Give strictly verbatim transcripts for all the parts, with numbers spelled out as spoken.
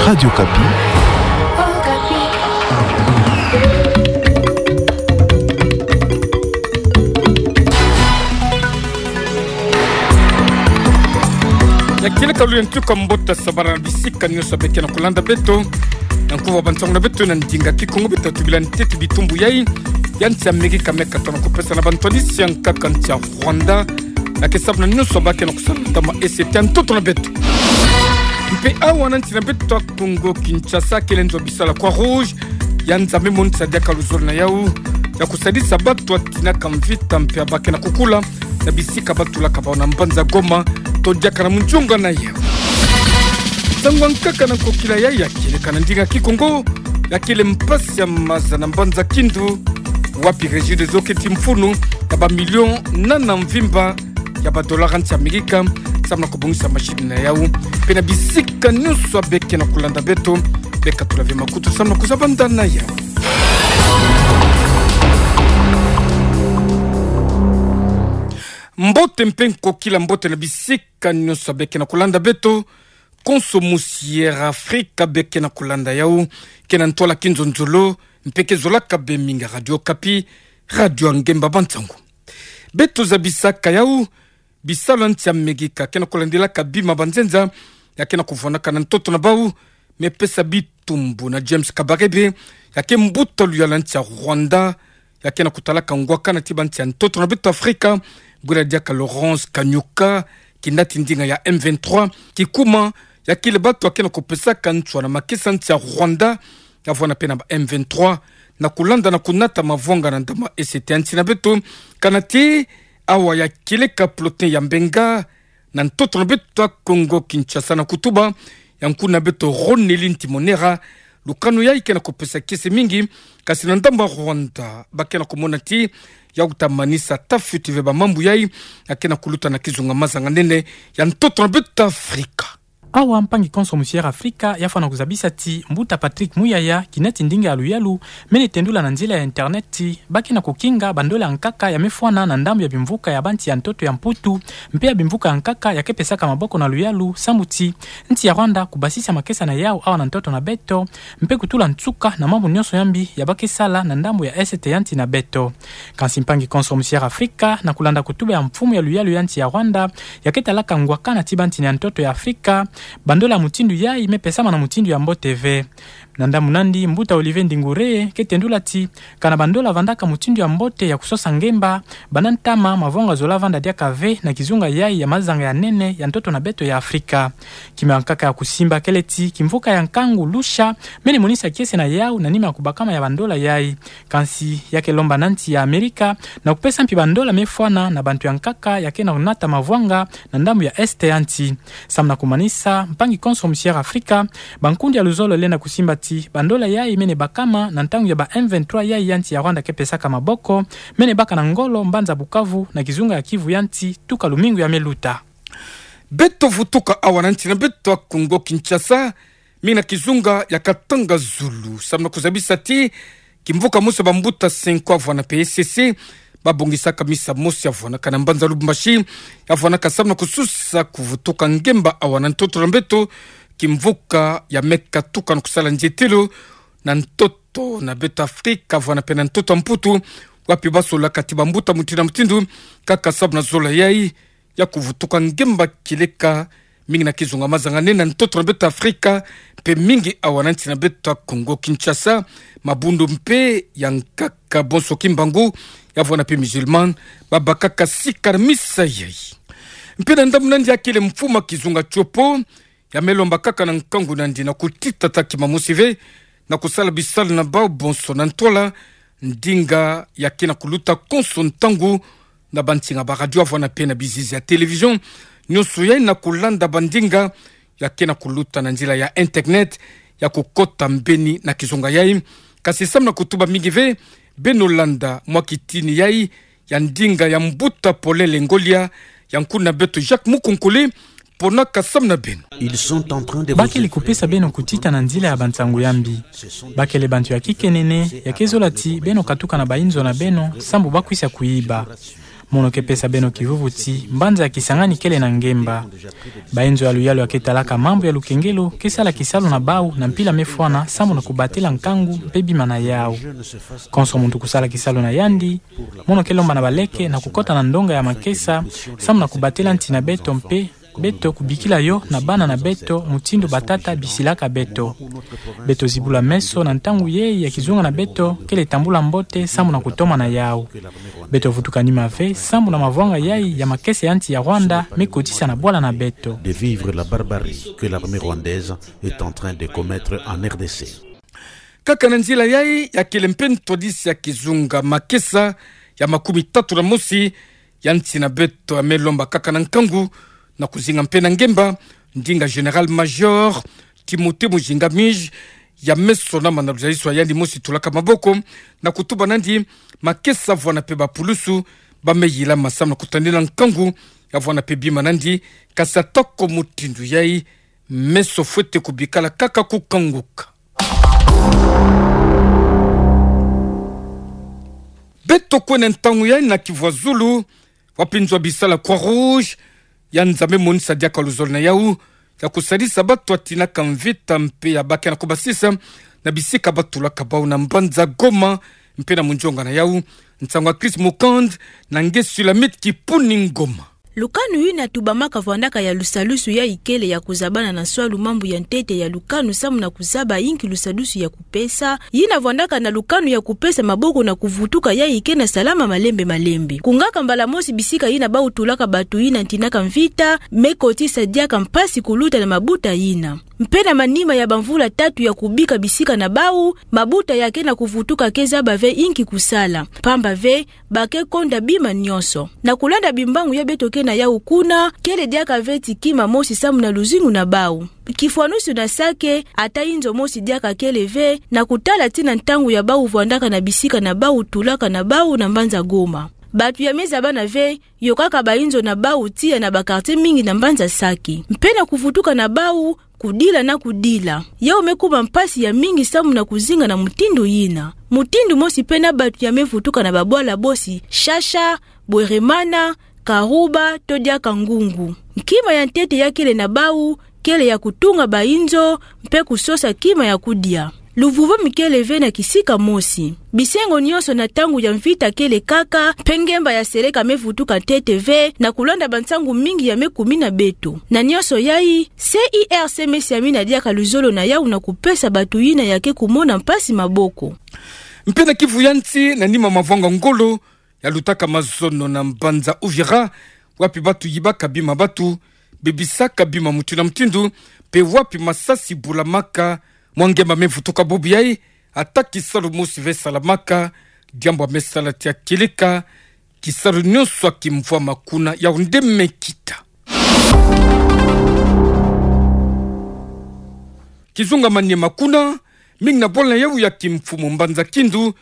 Radio Okapi. Ya kieleka luyantu, ka mbote sabara na bisika nyonso ya be ke na kulanda beto. Na nkuwa bansangu na beto na ndinga Kikongo, beto tubila ntete bitumbu yai ya nsi ya Amerika me katona kupesa na bantu ya nsi ya nkaka nsi ya Rwanda, ya ke sabona nyonso ba ke na kusala na ntama S T ya ntoto na beto. Mpe awa na nsi na beto ya Kongo Kinshasa, kele nzo bisala Croix-Rouge ya Nzambi monisa diaka luzolo na yau ya kusadisa bato ya tinaka mvita mpe ya ba ke na kukula na bisika ba tulaka bawu na mbanza Goma, to diaka na munzunga na yau. Nsangu ya nkaka na nkokila yai ya kieleka na ndinga Kikongo, ya kele mpasi ya maza na mbanza Kindu, wapi Regideso keti mfunu ya ba million nana mvimba ya ba dollars ya nsi ya Amerika, samu na kubongisa machine na yau. Mpe na bisika nyonso ya be ke na kulanda beto, be katula ve makutu samu na kuzabanda na yau. Mbote mpe nkokila mbote na bisika nyonso ya be ke na kulanda beto. Konso musi Air Afrika be ke na kulanda yau, ke na ntwala kinzonzolo, mpe ke zolaka be mingi Radio Okapi, radio ya ngemba bansangu. Beto zabisaka yau, bisalu ya nsi ya Amerika ke na kulandilaka bima banzenza ya ke na kuvwanaka na ntoto na bawu, me pesa bitumbu na James Kabarebe, ya ke mbuta luyalu ya nsi ya Rwanda, ya ke na kutalaka ngwakana ti bansi ya ntoto na beto Afrika, bwela diaka Laurent Kanyuka, kinati ndinga ya M vingt-trois, kikuma ya kele bato ya ke na kupesaka nswa na makesa nsi ya Rwanda, ya vwanda mpe na ba M vingt-trois, na kulanda na kunata mavwanga na ndama S T ya nsi na beto, kana ti awa ya kieleka Plotin ya Mbenga, na ntoto na beto ya Kongo Kinshasa, na kutuba ya nkuna beto Ronelin Timonera, lukanu yai ke na kupesa kiese mingi, kasi na ndambu ya Rwanda, ba ke na kumona ti yau ta manisa tafiti ve ba mambu yai ya ke na kuluta na kizunga mazanganene ya ntoto na beto Afrika. Awa mpangi konso musi Air Afrika, ya fwana kuzabisa ti mbuta Patrick Muyaya, kinati ndinga ya luyalu, mene tendula na nzila ya internet ti ba ke na kukinga bandola ya nkaka ya me fwana na ndambu ya bimvuka ya bansi ya ntoto ya Mputu, mpe ya bimvuka ya nkaka ya ke pesaka maboko na luyalu, samu ti nsi ya Rwanda kubasisa makesa na yau awa na ntoto na beto, mpe kutula nsuka na mambu nyonso ya mbi ya ba ke sala na ndambu ya S T ya nsi na beto. Kansi mpangi konso musi Air Afrika, na kulanda kutuba ya mfumu ya luyalu ya nsi ya Rwanda, ya ke talaka ngwakana ti bansi ya ntoto ya Afrika, bandola ya mutindu yai me pesama na mutindu ya mbote ve. Na ndambu nandi, mbuta Olivier Ndingure ke tendula ti, kana bandola vandaka mutindu ya mbote ya kusosa ngemba, banda ntama mavwanga zola vanda diaka ve na kizunga yai ya mazanga ya nene ya ntoto na beto ya Afrika. Kima ya nkaka ya kusimba kele ti kimvuka ya nkangu Lusha mene monisa kiese na yau na nima ya kubakama ya bandola yai. Kansi ya ke lomba na nsi ya Amerika na kupesa mpi bandola me fwana na bantu ya nkaka ya ke na kunata mavwanga na ndambu ya S T ya nsi. Samu na kumanisa, mpangi konso musi Air Afrika, bankundi ya luzolo lenda kusimba ti bandola yai mene bakama na ntangu ya ba M vingt-trois yai ya nsi ya Rwanda ke pesaka maboko, mene baka na ngolo mbanza Bukavu na kizunga ya Kivu ya nsi tuka lumingu ya me luta. Beto vutuka awa na nsi na beto ya Kongo Kinshasa, mingi na kizunga ya Katanga Zulu, samu na kuzabisa ti kimvuka mosi ya bambuta Senko ya vwanda mpe E C C, babongisaka misa mosi ya vwandaka na mbanza Lubumbashi, ya vwandaka samu na kususa kuvutuka ngemba awa na ntoto na beto, kimvuka ya me katuka na kusala nzietelo na ntoto na beto Afrika, vwanda mpe na ntoto ya Mputu, wapi basololaka ti bambuta mutindu na mutindu, kaka samu na zola yai ya kuvutuka ngemba kieleka, mingi na kizunga mazanganene na ntoto na beto Afrika, mpe mingi awa na nsi na beto ya Kongo Kinshasa, mabundu mpe ya nkaka bonso kimbangu, ya vwanda mpe musulman, babakaka sika na misa yai. Mpe na ndambu nandi ya kele mfumu ya kizunga Tiopo, ya me lomba kaka na nkangu nandi na kutitata kima mosi ve, na kusala bisalu na bawu bonso na ntwala ndinga ya ke na kuluta konso ntangu na bansinga ba radio ya vwanda mpe na bizizi ya télévision, nyonso yai na kulanda bandinga ya ke na kuluta na nzila ya internet, ya kukota mbeni na kizunga yai. Kasi samu na kutuba mingi ve, beno landa mwa kitini yai ya ndinga ya mbuta Polele Ngolia, ya nkuna beto Jacques Mukonkole, ponaka samu na beno. Ils sont en train de vous effrayer. Ba kele kupesa beno kutita na nzila ya bansangu ya mbi. Ba kele bantu ya kikenene, ya ke zola ti beno katuka na bayinzo na beno, sambu ba kwisa kuyiba. Mono ke pesa beno kivuvuti, mbanza ya Kisangani kele na ngemba. Bainzo ya luyalu ya ke talaka mambu ya lukengelo ke sala kisalu na bau na mpila mefwana, sambu na kubatela nkangu mpe bima na yau. Konso muntu kusala kisalu na yandi, mono ke lomba na baleke na kukota na ndonga ya makesa, sambu na kubatela nti na beto mpe beto kubikila yo na bana na beto mutindu batata bisilaka beto. Beto zibula meso na ntangu yai ya kizunga na beto kele tambula mbote sambu na kutoma na yau. Beto vutuka nima ve sambu na mavwanga yai ya makesa ya nti ya Rwanda me kotisa na bwala na beto. De vivre la barbarie que l'armée rwandaise est en train de commettre en R D C. Kaka na nzila yai ya kele mpe ntwadisi ya kizunga makesa ya makumi tatu na mosi ya nti na beto ya me lomba kaka na nkangu na kuzinga mpe na ngemba, ndinga Général-Major Timothée Muzinga Mij ya me sonama na luzalisu ya yandi mosi tulaka maboko, na kutuba nandi makesa vwanda mpe bapulusu ba me yilama sambu na kutandila nkangu ya vwanda mpe bima nandi, kasi atako mutindu yai, meso fwete kubikala kaka kukanguka. Beto kwenda ntangu yai na kivwa zulu, wapi nzo ya bisala Croix-Rouge ya nza me monisa diaka luzolo na yau ya kusadisa bato ya tinaka mvita mpe ya ba ke na kubasisa na bisika ba tulaka bau na mbanza Goma mpe na munzonga na yau. Nsangu ya Chris Mukand na nge Sulamit Kipuni Ngoma. Lukanu yina tubamaka vwandaka ya lusalusu yai kele ya kuzabana na nswalu mambu ya ntete ya lukanu sambu na kuzaba inki lusalusu ya kupesa, yina vwandaka na lukanu ya kupesa maboko na kuvutuka yai ke na salama malembe malembe. Kungaka mbala mosi bisika yina bau tulaka bato yina tinaka mvita, me kotisa diaka mpasi kuluta na mabuta yina. Mpe na manima ya bamvula tatu ya kubika bisika na bau, mabuta ya ke na kuvutuka ke zaba ve inki kusala. Pamba ve, ba ke konda bima nionso. Na kulanda bimbangu ya beto ke na yau kuna, kele diaka ve ti kima mosi sambu na luzingu na bau. Kifwanusu na Sake, ata inzo mosi diaka kele ve, na kutala tii na ntangu ya bau vwandaka na bisika na bau tulaka na bau na mbanza Goma. Bato ya me zabana ve, yokaka bainzo na bau tiya na ba quartier mingi na mbanza Sake. Mpe na kuvutuka na bau, kudila na kudila. Yau me kuma mpasi ya mingi sambu na kuzinga na mutindu yina. Mutindu mosi mpe na bato ya me vutuka na babwala bosi, Shasha, Bweremana, Karuba, to diaka Ngungu. Nkima ya ntete ya kele na bau, kele ya kutunga bainzo, mpe kusosa kima ya kudia. Luvuvwami kele ve na kisika mosi. Bisengo nionso na ntangu ya mvita kele kaka, mpe ngemba ya seleka me vutuka ntete ve, na kulanda bansangu mingi ya me kumina beto. Na nionso yai, C I R C me siamina diaka luzolo na yau na kupesa bato yina ya ke kumona mpasi maboko. Mpe na kivu ya nsi, na nima mavwanga ngolo ya lutaka mazono na mbanza Uvira, wapi bato yibaka bima bato, bebisaka bima mutindu na mutindu, mpe wapi masasi bulamaka, mwa ngemba me vutuka bubu yai, ata kisalu mosi ve salamaka, diambu ya me sala tii ya kieleka, kisalu nionso ya kimvwama kuna yau nde me kita. Kizunga Maniema kuna, mingi na bwala na yau ya kimfumu mbanza Kindu,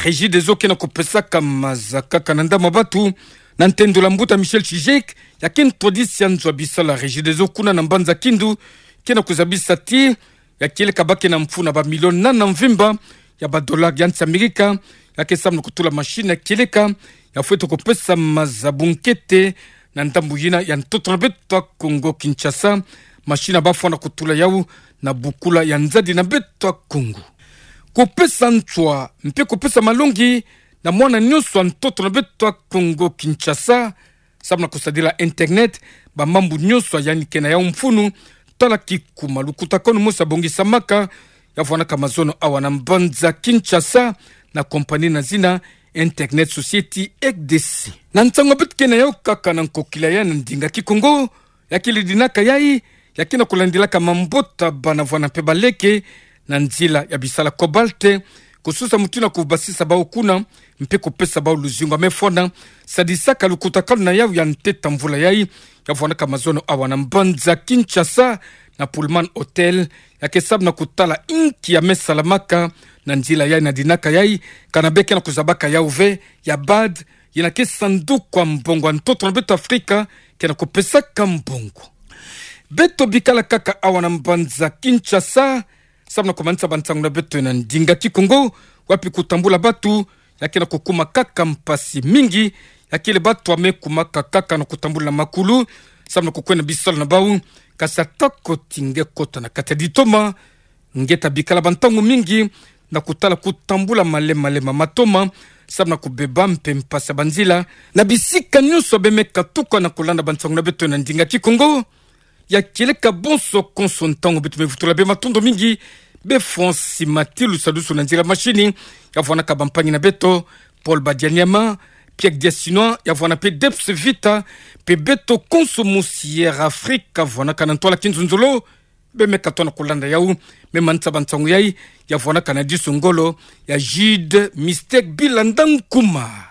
Regideso ke na kupesaka maza kaka na ndama bato, na ntendolo ya mbuta Michel Chijek, ya ke ntwadisi ya nzo ya bisala Regideso kuna na mbanza Kindu, ke na kuzabisa tii, ya kieleka ba ke na mfunu na ba million nana mvimba ya ba dollars ya nsi Amerika, ya ke samu na kutula machine ya kieleka, ya fwete kupesa maza bunkete, na ndambu yina ya ntoto na beto ya Kongo Kinshasa, machine ba fwana kutula yau, na bukula ya nzadi na beto ya Kongo. Kupesa nswa, mpe kupesa malongi, na mwana nionso ya ntoto na beto ya Kongo Kinshasa, samu na kusadila internet, ba mambu nionso ya yandi ke na yau mfunu, tala kikuma lukutakanu mosi ya bongisamaka, ya vwanaka mazono awa na mbanza Kinshasa, na compagnie na zina Internet Society R D C. Na nsangu beto ke na yau kaka na nkokila ya na ndinga Kikongo, ya kele dinaka yai, ya ke na kulandilaka mabota bana vwana mpe baleke, na nzila ya bisala cobalt, kususa mutindu ya kubasisa bau kuna, mpe kupesa bau luzingu ya me fwana, sadisaka lukutakanu na yau ya ntete ya mvula yai, ya vwanaka mazono awa na mbanza Kinshasa, na Pullman Hotel, ya ke samu na kutala inki ya me salamaka, na nzila yai na dinaka yai, kana be ke na kuzabaka yau ve, ya bad, yina ke sanduku ya mbongo ya ntoto na beto Afrika, ke na kupesaka mbongo. Beto bikala kaka awa na mbanza Kinshasa, samu na kumanisa bansangu na beto na ndinga Kikongo, wapi kutambula bato, ya ke na kukuma kaka mpasi mingi, Ya kele batoa me kumakaka kaka na kutambula makulu, samu na kukwenda bisalu na bau, kasi atako ti nge kota na kati ya ditoma, nge tabikala ba ntangu mingi, na kutala kutambula malembe malembe ma matoma, samu na kubeba mpe mpasi ya banzila, na bisika nyonso beme katuka na kulanda bansangu na beto na ndinga Kikongo. Ya kieleka bonso konso ntangu beto mevutula bê matondo mingi, bê Francis Matilu Sadusu na nzila machine, ya vwanaka bampangi na beto, Paul Badianyama, Pierre Diasinois, ya vwana mpe Debs Vita, mpe beto konso mu Sierra Africa, vwanaka na ntwala kinzonzolo, beme katoa na kulanda yau, me manisa bansangu yai, ya vwanaka na diso ngolo, ya Jude Mistake Bilanda Nkuma.